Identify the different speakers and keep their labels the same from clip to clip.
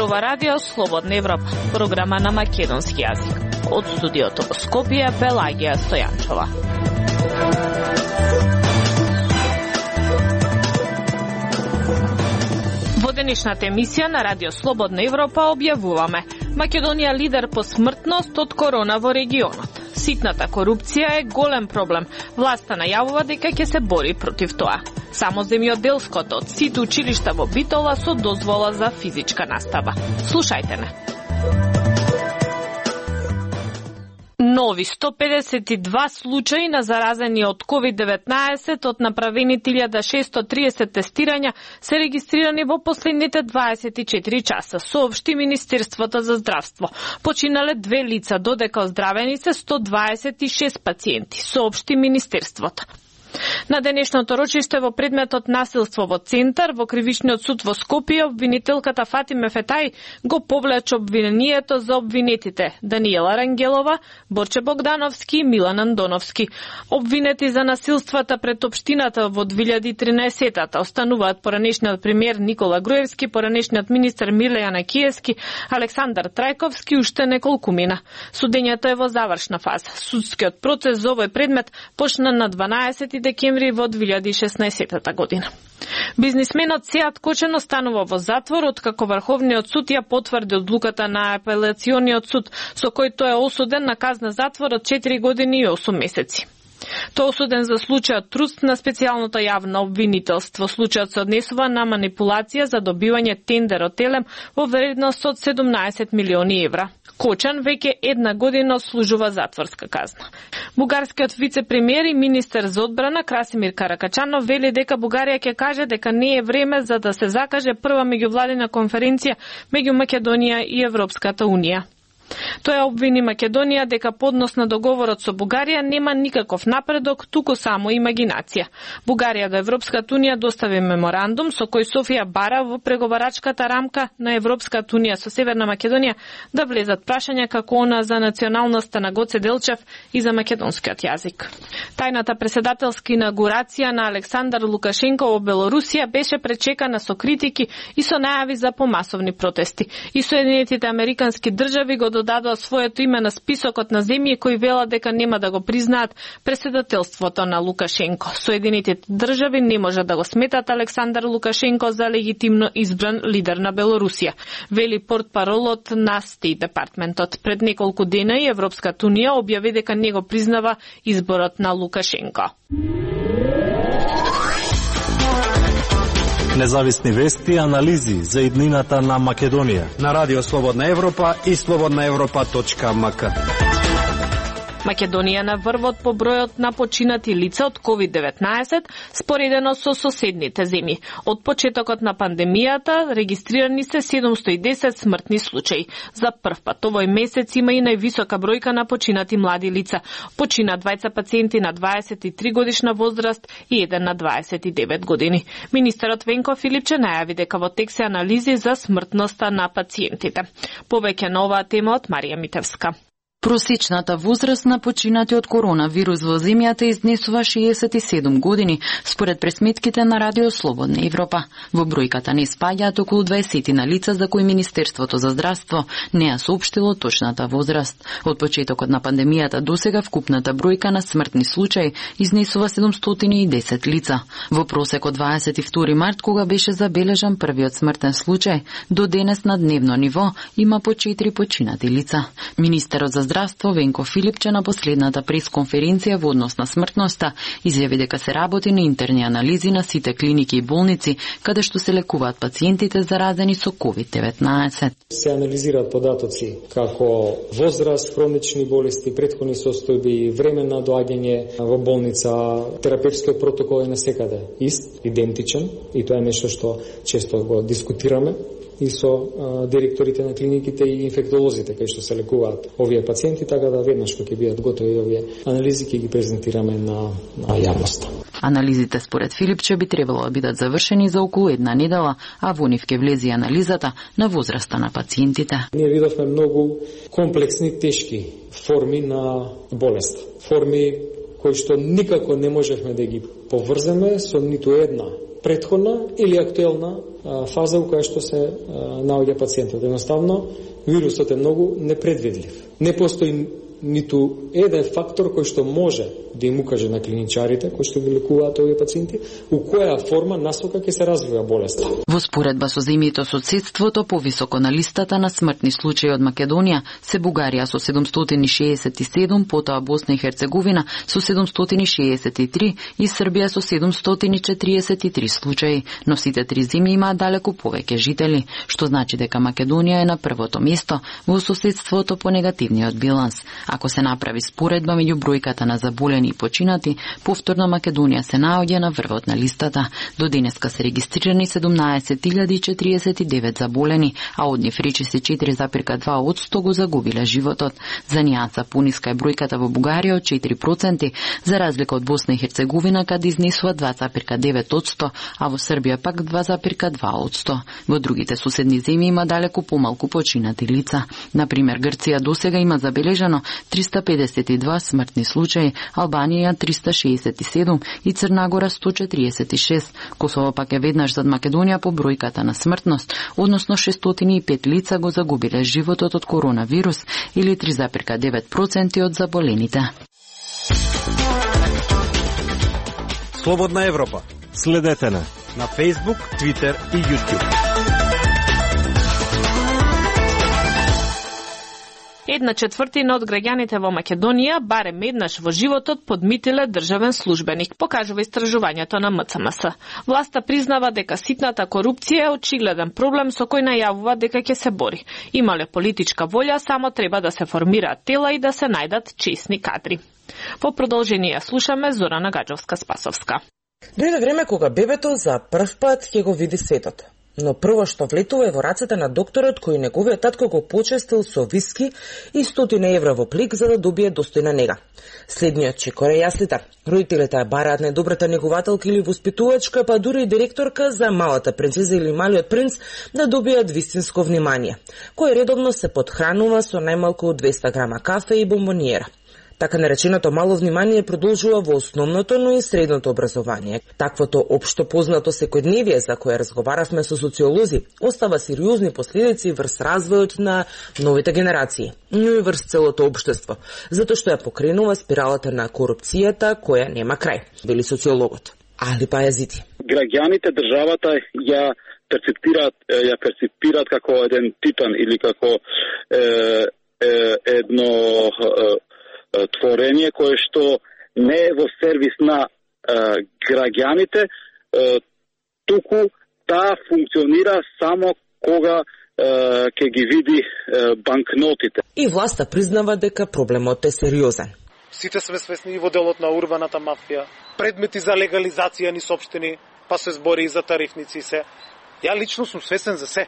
Speaker 1: зборува Радио Слободна Европа, програма на македонски јазик. Од студиото во Скопје, Пелагија Стојанчова. Во денешната емисија на Радио Слободна Европа објавуваме: Македонија лидер по смртност од корона во регионот. Ситната корупција е голем проблем. Власта најавува дека ќе се бори против тоа. Само земјоделското од сите училишта во Битола со дозвола за физичка настава. Слушајте не. Нови 152 случаи на заразени од COVID-19 од направените 1630 тестирања се регистрирани во последните 24 часа, соопшти Министерството за здравство. Починале 2 лица, додека оздравени се 126 пациенти, соопшти Министерството. На денешното рочиште во предметот насилство во Центар, во Кривичниот суд во Скопје, обвинителката Фатиме Фетај го повлече обвинението за обвинетите Даниела Рангелова, Борче Богдановски и Милан Андоновски. Обвинети за насилствата пред општината во 2013-та остануваат поранешниот премиер Никола Груевски, поранешниот министер Милејана Киевски, Александар Трајковски и уште неколкумина. Судењето е во завршна фаза. Судскиот процес за овој предмет почна на 12 декември во 2016 година. Бизнисменот Сеат Кочен останува во затвор откако Врховниот суд ја потврди одлуката на Апелациониот суд, со кој тој е осуден на казна затвор од 4 години и 8 месеци. Тој е осуден за случајот труст на специјалното јавно обвинителство. Случајот се однесува на манипулација за добивање тендер од Телем во вредност од 17 милиони евра. Кочан веќе 1 година отслужува затворска казна. Бугарскиот вице-премиер и министер за одбрана Красимир Каракачанов вели дека Бугарија ќе каже дека не е време за да се закаже прва меѓувладина конференција меѓу Македонија и Европската унија. Тој обвини Македонија дека поднос на договорот со Бугарија нема никаков напредок, туку само имагинација. Бугарија до Европската унија достави меморандум со кој Софија бара во преговарачката рамка на Европската унија со Северна Македонија да влезат прашања како она за националноста на Гоце Делчев и за македонскиот јазик. Тајната преседателска инаугурација на Александар Лукашенко во Белорусија беше пречекана со критики и со најави за помасовни протести. И Соединетите американски држави го додадоа своето име на списокот на земји кои велат дека нема да го признаат преседателството на Лукашенко. Соединетите држави не може да го сметат Александар Лукашенко за легитимно избран лидер на Белорусија, вели портпаролот на Стейт департментот. Пред неколку дена и Европската унија објави дека не го признава изборот на Лукашенко.
Speaker 2: Независни вести и анализи за иднината на Македонија
Speaker 3: на Радио Слободна Европа и slobodnaevropa.mk.
Speaker 1: Македонија на врвот по бројот на починати лица од COVID-19 споредено со соседните земји. Од почетокот на пандемијата регистрирани се 710 смртни случаи. За прв пат овој месец има и највисока бројка на починати млади лица. Почина 2 пациенти на 23 годишна возраст и еден на 29 години. Министерот Венко Филипче најави дека во тек се анализи за смртноста на пациентите. Повеќе на оваа тема од Марија Митевска.
Speaker 4: Просечната возраст на починати од коронавирус во земјата изнесува 67 години, според пресметките на Радио Слободна Европа. Во бројката не спаѓаат околу 20 на лица за кои Министерството за здравство не ја соопштило точната возраст. Од почетокот на пандемијата досега вкупната бројка на смртни случаи изнесува 710 лица. Во просек од 22 март, кога беше забележан првиот смртен случај, до денес на дневно ниво има по 4 починати лица. Министерот за здравство Венко Филипче на последната пресконференција во однос на смртноста изјави дека се работи на интерни анализи на сите клиники и болници каде што се лекуваат пациентите заразени со COVID-19.
Speaker 5: Се анализираат податоци како возраст, хронични болести, претходни состојби, време на доаѓање во болница, терапевтскиот протокол е насекаде ист, идентичен и тоа е нешто што често го дискутираме и со директорите на клиниките и инфектолозите кај што се лекуваат овие пациенти, така да веднаш кога ќе бидат готови овие анализи ќе ги презентираме на јавноста.
Speaker 4: Анализите според Филипче би требало да бидат завршени за околу 1 недела, а во нив ќе влезе анализата на возраста на пациентите.
Speaker 5: Ние видовме многу комплексни, тешки форми на болест. Форми кои што никако не можевме да ги поврземе со ниту една претходна или актуелна фаза во која што се наоѓа пациентот. Едноставно, вирусот е многу непредвидлив. Не постои ниту еден фактор кој што може да им укаже на клиничарите кои што ги лекуваат овие пациенти у која форма насока ќе се развива болеста.
Speaker 4: Во споредба со земјите соседството, повисоко на листата на смртни случаи од Македонија се Бугарија со 767, потоа Босна и Херцеговина со 763 и Србија со 743 случаи, но сите три земји имаат далеку повеќе жители, што значи дека Македонија е на првото место во соседството по негативниот биланс. Ако се направи споредба меѓу бројката на заболени и починати, повторно Македонија се наоѓа на врвот на листата. До денеска се регистрирани 17.049 заболени, а од нив речиси 4,2% го загубиле животот. За нијанса пониска е бројката во Бугарија од 4%, за разлика од Босна и Херцеговина, каде изнесува 2,9%, а во Србија пак 2,2%. Во другите соседни земји има далеку помалку починати лица. Например, Грција досега има забележано 352 смртни случаи, Албанија 367 и Црна Гора 146. Косово пак е веднаш зад Македонија по бројката на смртност, односно 605 лица го загубиле животот од коронавирус или 3,9% од заболените.
Speaker 3: Слободна Европа.
Speaker 2: Следете на
Speaker 3: Facebook, Twitter и YouTube.
Speaker 1: 1/4 од граѓаните во Македонија барем еднаш во животот подмитиле државен службеник, покажува истражувањето на МЦМС. Власта признава дека ситната корупција е очигледен проблем со кој најавува дека ќе се бори. Имале политичка волја, само треба да се формираат тела и да се најдат чесни кадри. По продолжение слушаме Зорана Гаджовска-Спасовска.
Speaker 6: Дојде време кога бебето за прв пат ќе го види светот. Но прво што влетува е во рацете на докторот кој неговиот татко го почестил со виски и 100 евра во плик за да добие достојна нега. Следниот чекор е јаслите. Родителите ја бараат најдобрата негователка или воспитувачка, па дури и директорка за малата принцеза или малиот принц да добијат вистинско внимание, кој редовно се подхранува со најмалку 200 грама кафе и бомбониера. Така нареченото мало внимание продолжува во основното, но и средното образование. Таквото општо познато секојдневие за кое разговаравме со социолози остава сериозни последици врз развојот на новите генерации, но и врз целото општество, затоа што ја покренува спиралата на корупцијата која нема крај, вели социологот. Али Пајазити.
Speaker 7: Граѓаните, државата ја перципираат како еден титан или како едно творење кое што не е во сервис на граѓаните, туку таа функционира само кога ќе ги види банкнотите.
Speaker 6: И власта признава дека проблемот е сериозен.
Speaker 8: Сите сме свесни и во делот на урбаната мафија, предмети за легализација ни сопштени, па се збори и за тарифници се. Ја лично сум свесен за се.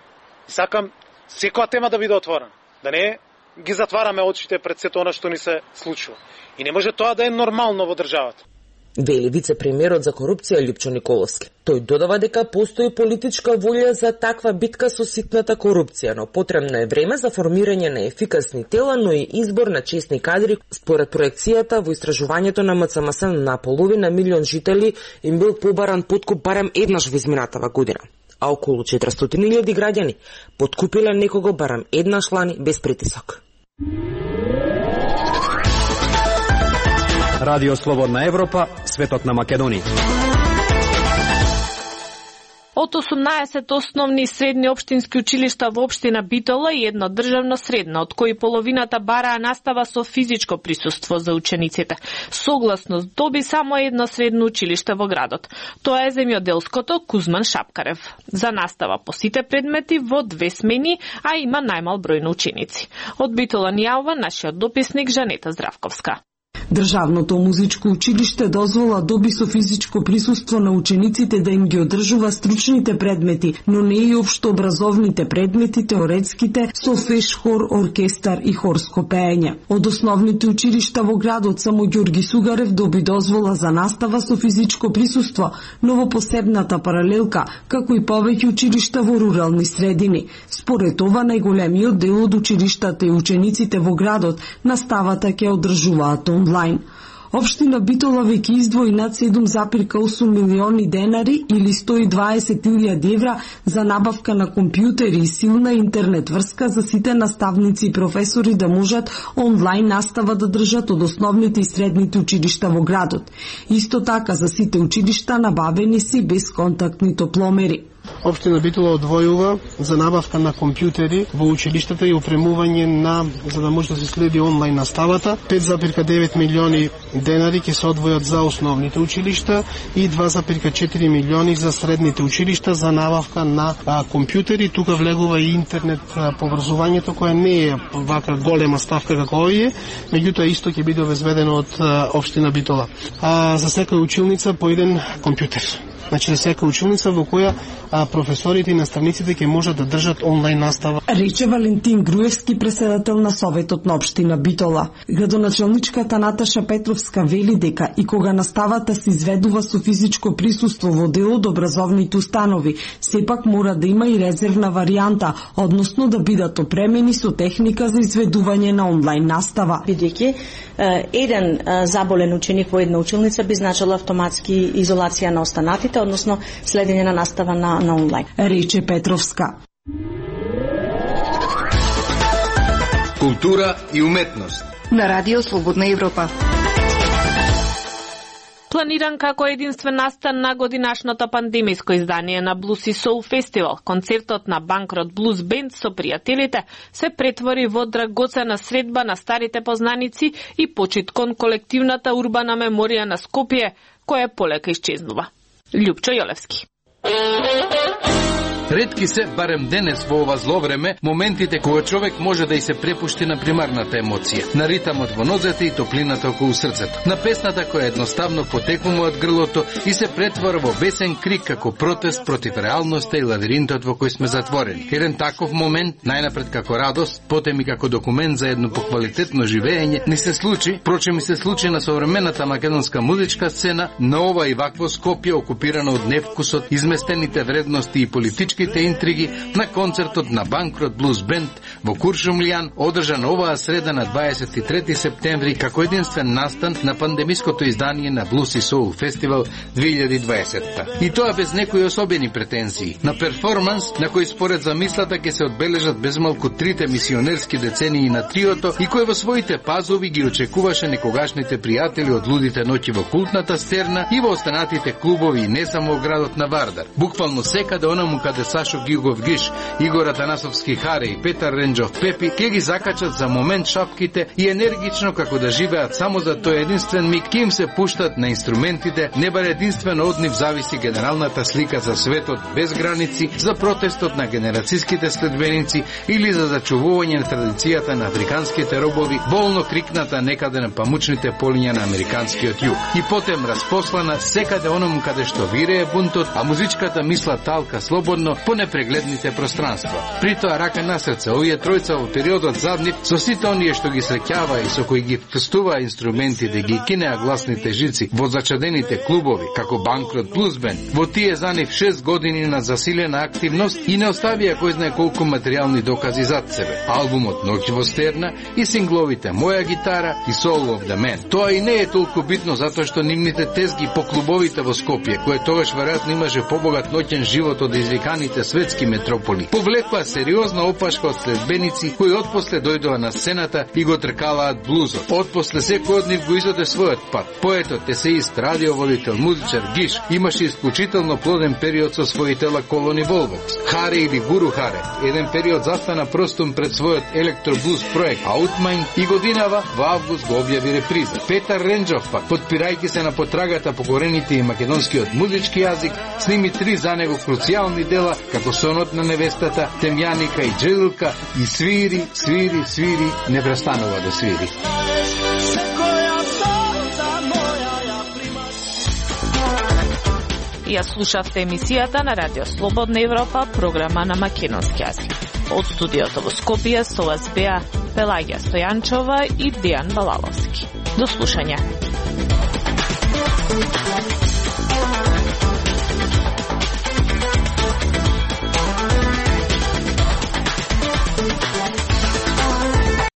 Speaker 8: Сакам секоја тема да биде отворена, да не ги затвараме очите пред сето она што ни се случува. И не може тоа да е нормално во државата.
Speaker 6: Вели вице-премиерот за корупција Лјупчо Николовски. Тој додава дека постои политичка волја за таква битка со ситната корупција, но потребно е време за формирање на ефикасни тела, но и избор на чесни кадри. Според проекцијата во истражувањето на МЦМС на половина милион жители им бил побаран подкуп барем еднаш во изминатава година, а околу 400.000 граѓани подкупиле некого барем еднаш лани без притисок.
Speaker 3: Радио Слободна Европа, светот на Македонија.
Speaker 1: Од 18 основни и средни општински училишта во општина Битола и едно државно средно, од кои половината бараа настава со физичко присуство за учениците. Согласно доби само едно средно училиште во градот. Тоа е земјоделското Кузман Шапкарев. За настава по сите предмети во 2 смени, а има најмал број на ученици. Од Битола ни јавува нашиот дописник Жанета Здравковска.
Speaker 9: Државното музичко училиште дозвола доби со физичко присуство на учениците да им ги одржува стручните предмети, но не и општообразовните предмети, теоретските, со феш хор, оркестар и хорско пеење. Од основните училишта во градот само Ѓорги Сугарев доби дозвола за настава со физичко присуство, но во посебната паралелка, како и повеќе училишта во рурални средини. Според ова, најголемиот дел од училиштата и учениците во градот наставата ќе одржуваат онлайн. Општина Битола веќе издвои над 7,8 милиони денари или 120.000 евра за набавка на компјутери и силна интернет врска за сите наставници и професори да можат онлайн настава да држат од основните и средните училишта во градот. Исто така за сите училишта набавени си безконтактни топломери.
Speaker 10: Општина Битола одвојува за набавка на компјутери во училиштата и опремување за да може да се следи онлайн наставата. 5,9 милиони денари ќе се одвојат за основните училишта и 2,4 милиони за средните училишта за набавка на компјутери. Тука влегува и интернет поврзувањето, која не е вака голема ставка како овие, меѓутоа исто ќе биде обезбедено од општина Битола. За секоја училница по еден компјутер. Значи, за секоја училница во која професорите и наставниците ќе можат да држат онлайн настава.
Speaker 9: Рече Валентин Груевски, председател на Советот на општина Битола. Градоначалничката Наташа Петровска вели дека и кога наставата се изведува со физичко присуство во дел од образовните установи, сепак мора да има и резервна варијанта, односно да бидат опремени со техника за изведување на онлайн настава.
Speaker 11: Бидејќи еден заболен ученик во една училница би значило автоматски изолација на останатите, односно следење на настава на онлайн.
Speaker 9: Рече Петровска.
Speaker 12: Култура и уметност.
Speaker 13: На Радио Слободна Европа.
Speaker 1: Планиран како единствен настан на годинашното пандемиско издание на Blues и Soul Festival, концертот на Банкрот Blues Band со пријателите се претвори во драгоцена средба на старите познаници и почит кон колективната урбана меморија на Скопје, која полека исчезнува. Љупчо Јолевски.
Speaker 14: Ретки се, барем денес во ова зло време, моментите кога човек може да и се препушти на примарната емоција, на ритамот во нозете и топлината околу срцето, на песната која едноставно потекува од грлото и се претвора во бесен крик како протест против реалноста и лавиринтот во кој сме затворени. Еден таков момент, најнапред како радост, потем и како документ за едно поквалитетно живење, ни се случи, прочем и се случи на современата македонска музичка сцена, на ова и вакво Скопје окупирано од невкусот, изместените вредности и политички интриги на концертот на Банкрот Blues Band во Куршумлијан, одржан оваа среда на 23 септември како единствен настан на пандемиското издание на Blues и Soul Festival 2020. И тоа без некои особени претензии. На перформанс на кој според замислата ќе се одбележат безмалку трите мисионерски децении на триото и кој во своите пазови ги очекуваше некогашните пријатели од лудите ноќи во култната стерна и во останатите клубови и не само во градот на Вардар. Буквално секаде онаму каде Сашо Гигов Гиш, Игор Атанасовски Харе и Петар Ренџов Пепи ќе ги закачат за момент шапките и енергично како да живеат само за тој единствен миг, ќе им се пуштат на инструментите, не бар единствено од нив зависи генералната слика за светот без граници, за протестот на генерацијските следбеници или за зачувување на традицијата на африканските робови, болно крикната некаде на памучните полиња на американскиот југ. И потем распослана секаде оному каде што вирее бунтот, а музичката мисла талка слободно по непрегледните пространства. При тоа рака на срце, овие тројца во периодот заднив, со сите оние што ги среќава и со кои ги фестува инструменти да ги кинеа гласните жици во зачадените клубови, како Банкрот Blues Band, во тие за нив 6 години на засилена активност и не оставија кој знае колку материјални докази зад себе. Албумот Ноќ во стерна и сингловите Моја гитара и Soul of the Man. Тоа и не е толку битно затоа што нивните тезги по клубовите во Скопје, кој тогаш веројатно имаше побогат ноќен живот од извиканите светски метрополи, повлекува сериозна опашка од следбеници кои отпосле дојдоа на сцената и го тркалаат блузот. Отпосле секој од нив го изоде својот пат. Поетот, есеист, радиоводител, музичар Гиш имаше исклучително плоден период со своите Колони Волвокс. Харе или Гуру Харе, еден период застана простум пред својот електроблуз проект Outmind и годинава во август го објави реприза. Петар Ренџов пак, подпирајќи се на потрагата по корените и македонскиот музички јазик, сними 3 за него круцијални дела, како Сонот на невестата, Темјаника и Джелилка, и свири, свири, свири, не престанува да свири.
Speaker 1: Ја слушавте емисијата на Радио Слободна Европа, програма на македонски јазик. Од студиото во Скопје со вас беа Пелагија Стојанчова и Дејан Балаловски. До слушање.